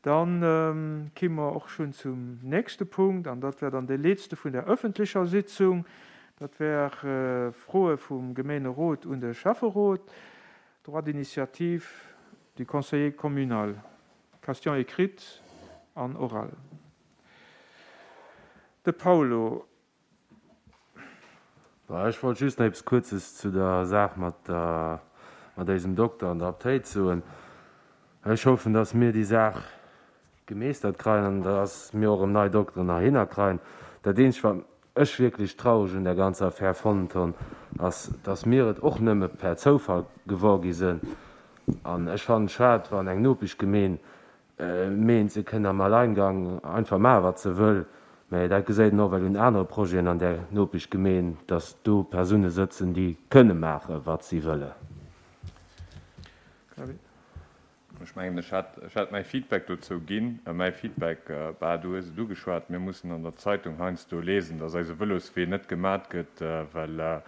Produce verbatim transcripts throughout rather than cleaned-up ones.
Dann kimm mer och schonn zum nächste Punkt, an dat wär dann dee letzte vun der öffentlecher Sitzung. Dat wär Froe vum Gemeenerot un de Schäfferot, Droit d'initiative du conseiller communal, Question écrite an orale. De Paulo. Ech wollt just nach eppes Kuerzes zu der Saach mat der, mat eisem Dokter an der Aptéit soen. Ech hoffen, dass mir déi Saach gemeeschtert kréien an dass mir och erëm nei Dokteren heihinner kréien. Dat Eenzegt, wat ech wierklech traureg un der ganzer Affär fonnt hunn, ass, dass mir et och nëmme per Zoufall gewor gi sinn. An ech fannen et schued, wann eng Nopeschgemeen meent, se kënn am Alleingang einfach maachen, wat se wëll. Mä dat geséit een och well un anere Projeten an där Nopeschgemeen, dass do Persoune sëtzen, déi kënne maachen, wat si wëllen. Ech mengen, ech hat, ech hat mäi Feedback dozou ginn. Mäi Feedback, bah, du hues et ugeschwat, mir mussen an der Zeitung heiansdo lesen, dass eise Vëloswee net gemat gëtt, well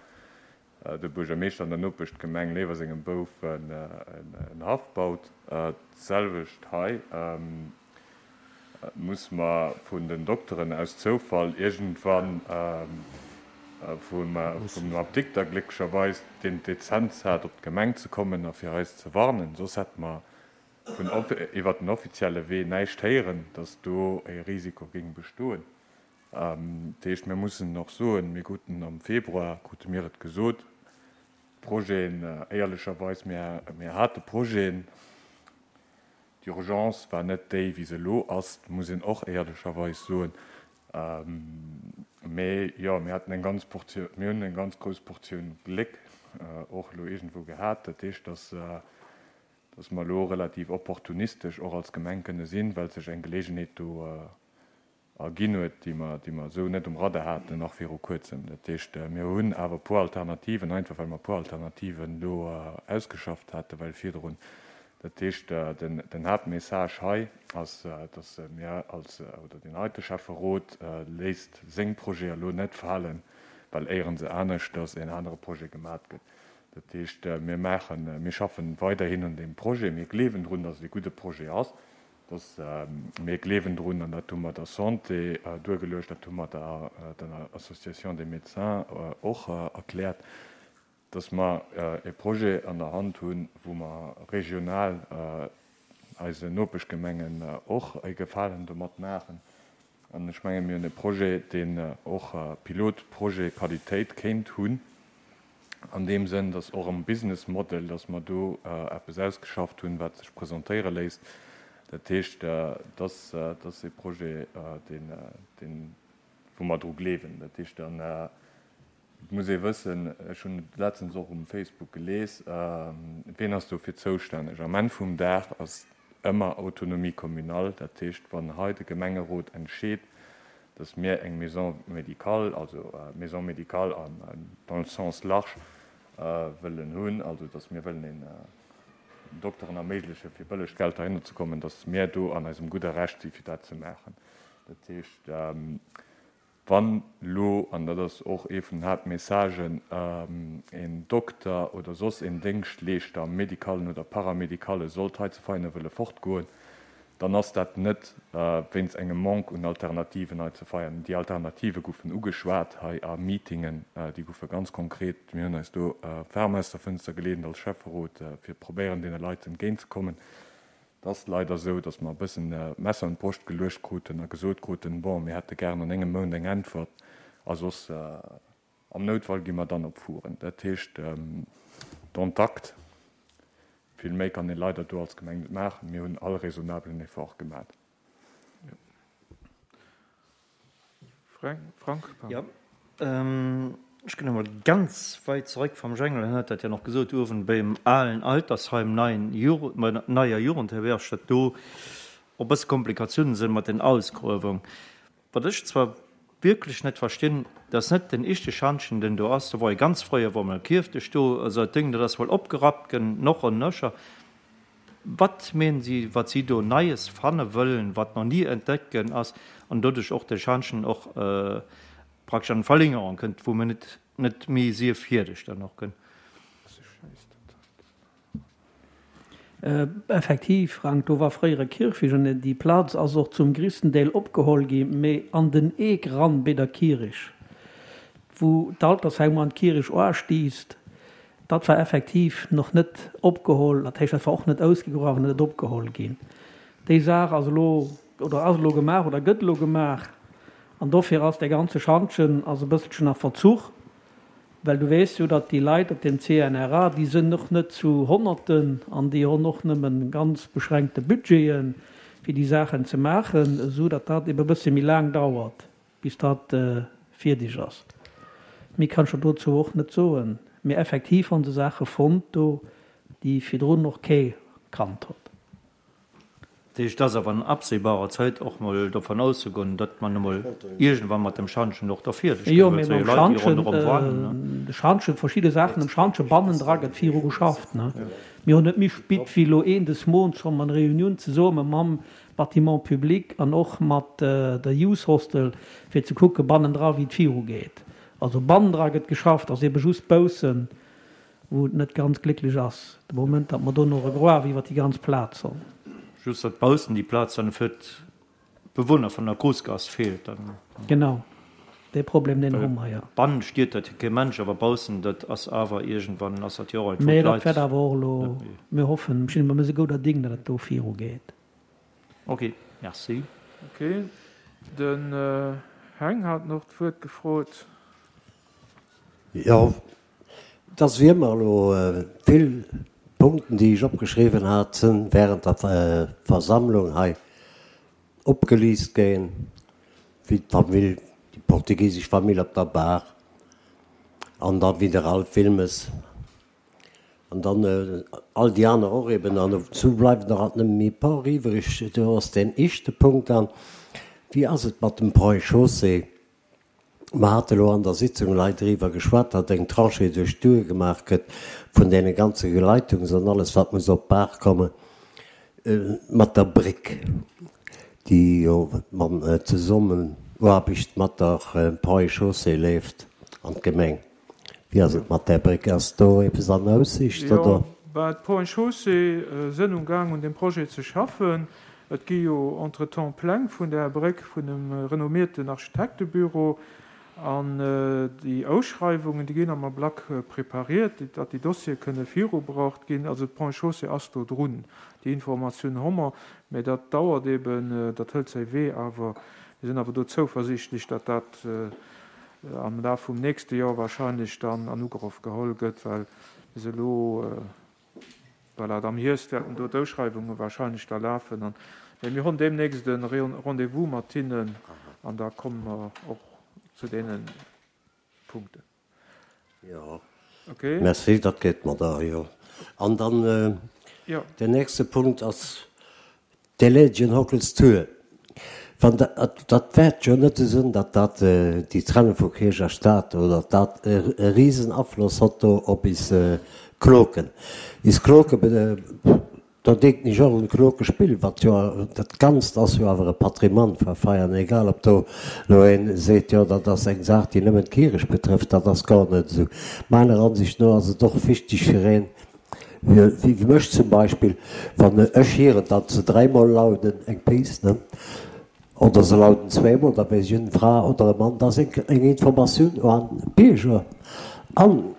de Buergermeeschter an der Nopeschgemeng léiwer sengem Bouf en Haff baut. D'selwecht hei muss mer vun den Dokteren aus Zoufall iergendwann vum Apdikter glécklecherweis, deen d'Dezenz hat, op d'Gemeng ze kommen a fir eis ze warnen, soss hätte mer vun iwwer den offizielle Wee näischt héieren, dass do e Risiko géing bestoen. Dat heescht, mir mussen och soen, mir kruten am Februar, krute mir et gesot, Projeten, éierlecherweis, mir, mir hate Projeten, d'Urgence war net déi, wéi se elo ass, muss een och éierlecherweis soen. Mee jo, mir haten eng ganz Portioun, mir hunn eng ganz grouss Portioun Gléck och elo iergendwou gehat. Dat heescht, dass, dass mer elo relativ opportunistesch och als Gemeng kënne sinn, well sech eng Geleegenheet do erginn huet, déi mer, déi mer esou net um Radar haten, nach viru Kuerzem. Dat heescht, mir hunn awer e puer Alternativen, einfach well mer e puer Alternativen elo ausgeschafft haten, well virdrun. Dat heescht, den, den Haaptmessage hei ass, dass mir als, oder deen heite Schäfferot léisst seng Projete elo net falen, well éieren se aneschters en anere Projet gemat gëtt. Dat heescht, mir maachen, mir schaffen weiderhin un deem Projet. Mir gleewen drun, dass et e gudde Projet ass, dass mir gleewen drun, an dat hu mer der Santé duergeluecht, dat hu mer der, der Association des Médecins och erkläert, dass mer e Projet an der Hand hunn, wou mer regional eisen Nopeschgemengen och e Gefalen domat maachen. An ech mengen, mir hunn e Projet, deen och Pilotprojet-Qualitéit kéint hunn, an deem Sënn, dass och am Business Model, dass mer do eppes ausgeschafft hunn, wat sech presentéiere léisst. Dat heescht, dass ass e Projet, deen, deen, wou mer dru gleewen. Dat heescht, dann et muss ee wëssen, ech hunn et letztens och um Facebook gelies, wien ass dofir zoustänneg? Am Enn vum Dag ass ëmmer Autonomie communale, dat heescht, wann hei de Gemengerot entscheet, dass mir eng Maison médicale, also Maison médicale dans le sens large wëllen hunn, also dass mir wëllen een Dokteren erméiglechen, fir bëlleg Geld heihinner ze kommen, dass mir do an eisem gudde Recht si fir dat ze maachen. Dat heescht, wann elo, an dat ass och ee vun den Haaptmessagen, een Dokter oder soss een Déngschtleeschter am Medicalen oder Paramédicale sollt hei zu Veianen wëlle fortgoen, dann ass dat net wéinst engem Manque un Alternativen hei zu Veianen. Déi Alternative goufen ugeschwat hei a Meetingen, déi goufe ganz konkret, mir hunn eis do ferm aus der Fënster geleent als Schäfferot, fir probéieren, deene Leit entgéintzekommen. Et ass leider esou, datt mer e bëssen d'Messer un d'Broscht geluecht kruten a gesot kruten, bon, mir hätte gären an engem Mount eng Äntwert a soss am Noutfall gi mer dann op Furen. Dat heescht, dont acte. Vill méi kann ee leider do als Gemeng net maachen. Mir hunn all raisonnablen Effort gemat. Frank? Jo, ech ginn emol ganz weit zeréck vam Jengel. En huet dat jo nach gesot, uewen beim alen Altersheim, neien Jugend, bei der neier Jugendherberg, datt do och bësse Komplikatiounen sinn mat den Ausgruewung. Wat ech zwar wierklech net verstinn, dat ass net den ischte Schantjen, den do ass. Do wor e ganz fréier, wor mol Kierfdech do, also dat Ding, dat ass wuel opgerappt ginn, noch an nöcher. Wat meenen si, wat si do Neies fanne wëllen, wat nach ni entdeckt ginn ass, an doduerch och de Schantjen och praktesch an Verlängerung kënnt, wou mir net net méi sief fierdeg dann och gënn. Effektiv, Frank, do war fréier e Kierfecht an déi Plaz ass och zum gréissten Deel opgeholl gi, mee an den Eek ran béi der Kierich, wou d'Altersheim an d'Kierich oastiisst, dat war effektiv nach net opgeholl, dat heescht, dat war och net ausgegruewen, net opgeholl ginn. Déi Saach ass elo, oder ass elo gemaach oder gëtt elo gemaach an dofir ass dee ganze Schantjen ass e bësselchen a Verzuch. Well du weess jo, datt déi Leit op dem C N R A, déi sënn och net zu Honnerten an déi honn och nëmmen ganz beschränkte Budgeten, fir déi Saachen ze maachen, esou datt dat ebe bësse méi laang dauert, bis dat fierdeg ass. Méi kann ech der dozou och net soen. Mee effektiv honn se Saache fonnt do, déi virdrun och kee kannt hott. Dat heescht, et ass awer an absehbarer Zäit och mol dovun auszegoen, datt man emol iergendwann mat dem Schantjen och da fierdeg gëtt, well et si jo Leit, déi ronderëm wannen. De Schantjen, verschidde Saachen um Schantje bannendra gëtt viru geschafft. Mir hunn net méi spit wéi elo een des Mounts schonn eng Reunioun zesumme mam Bâtiment public an och mat der Youth Hostel, fir ze kucke bannendra wéi et virugeet. Also bannendra gëtt geschafft, ass ebe just baussen, wou et net ganz glécklech ass de Moment, datt mer do nach e Gruef iwwer déi ganz Plaz hunn. Just datt baussen déi Plaz dann fir d'Bewunner vun der Groussgaass feelt dann. Genau, dee Problem deen hu mer, jo. Bannen stiert dat jo kee Mensch, awer baussen, dat ass awer iergendwann ass dat jo och alt wou Mee dat d'Leit wäert awer och elo, net méi. mir hoffen, mir sinn esou gouder Ding, datt et do virugeet. Ok, merci. Ok, den Heng hat nach d'Wuert gefrot. Jo, et ass wéi ëmmer elo vill Punkten, déi ech opgeschriwwen hat, sinn während der Versammlung hei opgeliist ginn, wéi d'Famill, déi portugisesch Famill op der Bar an da wéi de Ralph Wilmes an dann all déi aner och eben. An dozou bleiwen der alt nëmme méi e paar iwwreg. Do ass deen éischte Punkt dann, Wéi ass et mat dem Ponts et Chaussées? Mer hate lo an der Sitzung lei driwwer geschwat, datt eng Tranchée duerch d'Our gemaach gëtt vun deene ganze Leitungs an alles, wat muss op d'Baach komme mat der Bréck, déi jo an Zesummenaarbecht mat der Ponts et Chaussées leeft an d'Gemeng. Wéi ass et mat där Bréck? Ass do eppes an Aussicht, Jo, oder? ben, d'Ponts et Chaussées sënn um Gaang un deem Projet ze schaffen. Et gi jo entretemps Pläng vun där Bréck vun em renommierten Architektebüro an déi Ausschreiwungen, déi ginn am Ablack prepariert, datt déi Dossiere kënne virubruecht ginn. Also d'Ponts et Chaussées ass do drun, déi Informatioun hu mer, mä dat dauert eben, dat hëlt säi Wee, awer mir sinn awer do zouversiichtlech, datt dat am Laf vum nächste Joer wahrscheinlech dann an Ugrëff geholl gëtt, well bis elo, voilà, am Hierscht wäerten do d'Ausschreiwunge wahrscheinlech da lafen. An, mä mir hunn deemnächst e Rendez-vous mat hinnen an da komme mer och zu deene Punkten. Jo. Okay. Merci, dat geet mer da, jo. An dann Jo. den nächste Punkt ass d'Elégien Hockels Tour. Wann dat, dat wäert jo net esou sinn, datt dat déi Trennung vu Kierch a Staat oder dat e risen Afloss hott do op is Kloken. Is Kloke, do denken ech och un d'Klokespill, wat jo, dat Ganzt ass jo awer e Patrimoine vu Veianen, egal ob do elo een seet, jo dat ass eng Saach déi nëmmen d'Kierch betrëfft, dat ass gar net esou. Meiner Ansicht no ass et och wichteg fir een, wéi mech zum Beispill, wann ech hieren, datt se dräimol lauden eng Piece, ne, oder se lauden zweemol, da weess ech, eng Fra oder e Mann, dat ass eng Informatioun un d'Bierger. An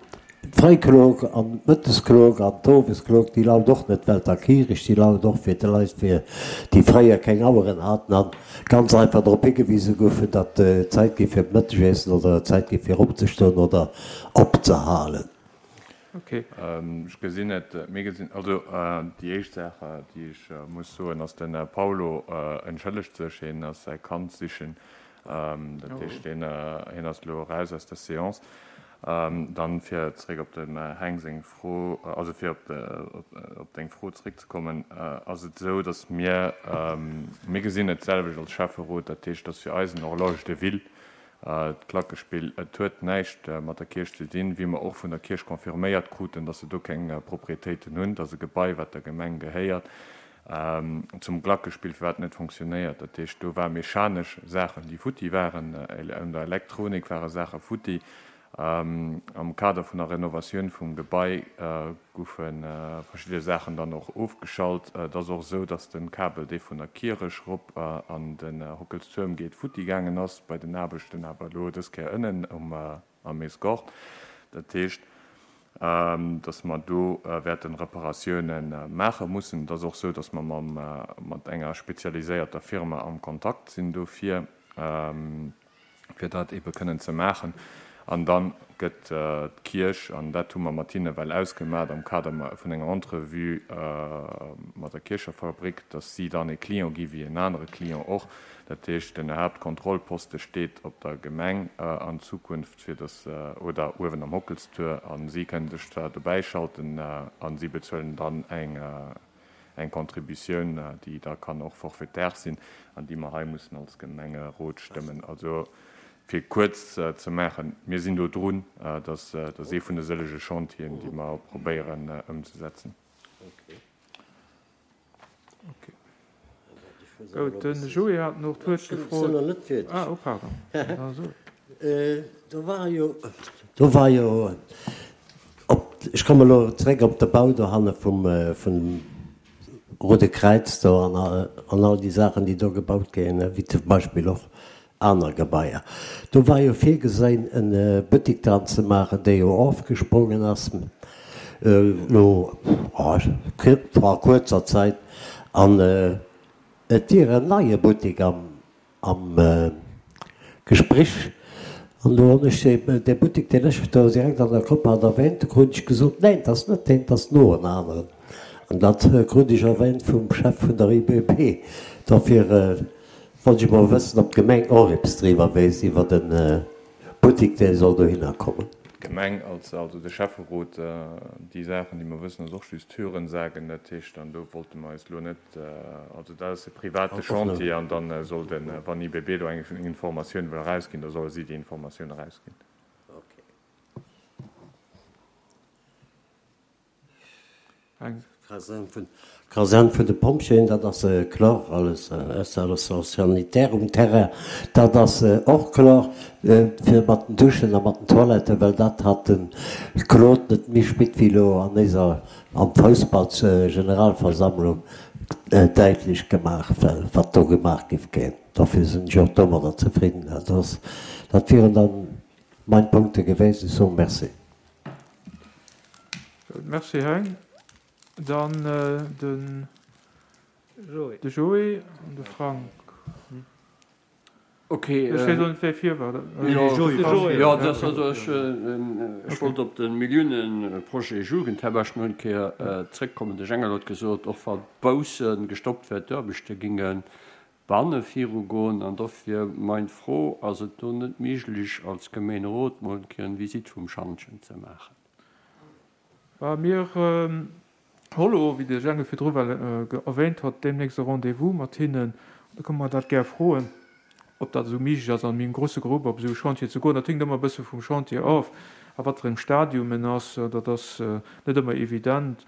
d'Fréiklok an d'Mëttesklok an d'Owesklok, déi laut och net well der Kierech, déi laut och fir d'Leit, fir déi fréier keng Aueren haten an ganz einfach drop higewise goufen, datt et Zäit gi fir d'Mëttegessen oder et Zäit gi fir opzestoen oder opzehalen. Okay. Ech gesinn et, mir gesinn, also déi éischt Saach, déi ech muss soen, ass, de Paulo entschëllegt sech, hien ass säi Kand sichen, dat heescht, hien ass elo eraus aus der Séance. Dann, fir zréck op dem Heng seng Fro, also fir op deng Fro zréckzekommen, ass et esou, datt mir, mir gesinn et d'selwecht als Schäfferot, dat heescht, datt fir eis en Horloge de ville, d'Klackespill, et huet näischt mat der Kierch ze dinn, wéi mer och vun der Kierch confirméiert kruten, datt se do keng Propriétéiten hunn, dat ass e Gebai, wat der Gemeng gehéiert. Zum Glackespill, firwat et net fonctionnéiert, dat heescht, do ware mechanesch Saachen, déi futti waren, un der Elektronik ware Saache futti. Am Kader vun der Renovatioun vum Gebai goufe verschidde Saachen dann och ofgeschalt. Et ass och esou, datt de Kabel, dee vun der Kierech rop an den Hockelstuerm geet, futti gaangen ass bei den Aarbechten, awer elo dës Kéier ënnen um am Escort. Dat heescht, datt mer do wäerte Reparatioune maache mussen. Et ass och esou, datt mer mam mat enger spezialiséierter Firma am Kontakt sinn dofir, fir dat eebe kënnen ze maachen. An da gëtt d'Kierch, an dat hu mer mat hinne well ausgemat am Kader vun enger Entrevue mat der Kierchefabrik, datt si dann e Client gi wéi en anere Client och. Dat heescht, den Haaptkontrollposte steet op der Gemeng an Zukunft, fir datt, oder uewen am Hockelstuer, a si kënnen sech zwar dobäischalten a si bezuelen dann eng eng Contributioun, déi da kann och forfaitaire sinn an déi mer hei mussen als Gemengerot stëmmen. Also, fir kuerz ze maachen, mir sinn do drun. Dat ass ee vun de sëllege Chantieren, déi mer probéieren ëmzesetzen. Gout, de Joé hat nach d'Wuert gefrot. Ah, oh pardon. Do war jo, do war jo op, ech komme elo zréck op de Bau dohanne vum, vum Roude Kräiz do an, an all déi Saachen, déi do gebaut ginn, wéi zum Beispill och aner Gebaier. Do war jo virgesinn, e Buttek dran ze maachen, dee jo ofgesprongen ass elo vor kuerzer Zäit. An et wier en neie Buttek am am Gespréch. An do hunn ech dee Buttek, deen ech do direkt an der Kopp hat, erwähnt. Do krut ech gesot, Neen, dat ass net deen, dat ass no en aneren. An dat krut ech erwähnt vum Chef vun der I B P. Dofir wollt ech mol wëssen, ob d'Gemeng och eppes driwwer weess, iwwer de Buttek, dee soll dohinner kommen. D'Gemeng, also de Schäfferot, déi Saachen, déi mer wëssen, ass och just Hörensagen. Dat heescht, an do wollte mer eis elo net, also dat ass e private Chantier an da soll den, wann I B B do eng Informatioun wëll erausginn, da solle si déi Informatioun erausginn. D'Kasern vun de Pompjeeën, dat ass kloer, alles Installation sanitaire um Terrain, dat ass och kloer, fir mat den Duschen a mat den Toiletten, well dat hat de Claude net méi spit wéi elo an eiser am Foussballsgeneralversammlung däitlech gemaach, wat do gemaach géif ginn. Dofir sinn ech och domadder zefridden. Dat ass, dat wieren dann mein Punkte gewesen. Ech soe Merci. Merci, Heng. Dann den de Joé an de Frank. Ok. Ech weess och net, wéi vir war. Jo, dat also ech ech wollt op de Milliouneprojet Jugendherberg nach eng Kéier zrëckkommen. De Jengel huet gesot, och wa bausse gestoppt wär, d'Aarbechte géinge banne virugoen. An dofir meng Fro, Ass et do net méiglech, als Gemeenerot mol eng Kéier eng Visitt vum Schantjen ze maachen? Bah, mir hollo, wéi de Jengel virdru well erwähnt hat, deemnächst e Rendez-vous mat hinnen. Da kënne mer dat gär froen, ob dat esou méiglech ass, an engem grouse Grupp op esou e Chantier ze goen. Dat hänkt ëmmer e bësse vum Chantier of a wat fir engem Stadium en ass. Dat ass net ëmmer evident,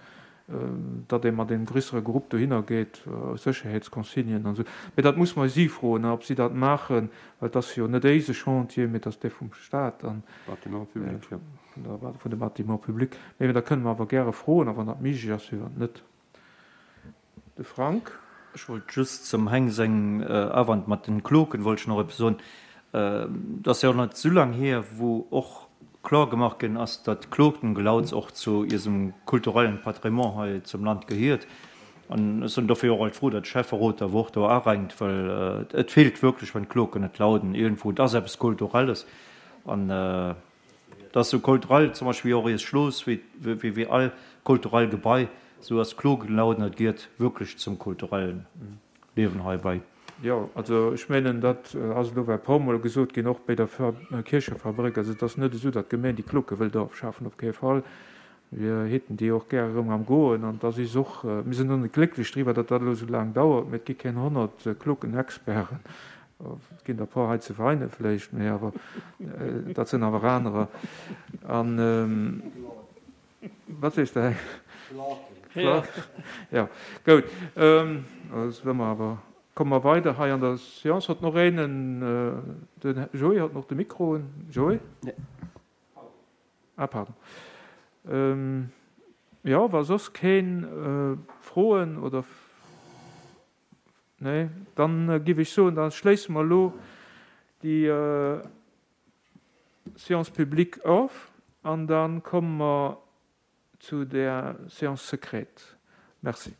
datt ee mat engem grössere Grupp dohinner geet, aus Sécherheetsconsignen an esou. Mee dat muss mer si froen, ob si dat maachen, well et ass jo net éise Chantier, mee et ass dee vum Stat an Bâtiment public, jo. Vun de Bâtiments publics. Mee da kënne mer awer gäre froen, a wann dat méiglech ass, firwat net. De Frank. Ech wollt just zum Heng seng Awand mat den Kloken wollt ech nach eppes soen. Et ass jo och net esou laang hier, wou och kloer gemaach ginn ass, datt d'Klokengelauz och zu iisem kulturellen Patrimoine hei zum Land gehiert. An ech sinn dofir och alt frou, datt de Schäfferot da och do arenkt, well et feelt wierklech, wann d'Kloken net lauden iergendwou. Et ass eppes Kulturelles an et ass esou kulturell zum Beispill wéi och iist Schloss, wéi wéi all kulturell Gebai, esou ass d'Klokengelauden, dat gehiert wierklech zum kulturellen Liewen hei bei. Jo, also ech mengen, dat ass elo well e puer Mol gesot ginn, och bei der Kierchefabrik. Also et ass net esou, datt d'Gemeng déi Klocke wëllt ofschafen, op kee Fall. Mir hätten déi och gär erëm am Goen an da si se och, mir sinn och net glécklech driwwer, datt dat elo esou laang dauert, mä et gi keng honnert Klockenexperten. Et ginn der e puer hei zu Veinen vläicht, mä awer dat sinn awer anerer. An wat sees de, Heng? Jo, goud. Also wëlle mer awer, komme mer weider hei an der Séance. Hott nach een, den Joé hott nach de Mikro un. Joé? Ah, pardon. Ähm, jo, wa soss keen Froen oder. Nee, dann giff ech soen, da schléisse mer elo déi Séance publique of an da komme mer zu der Séance secrète. Merci.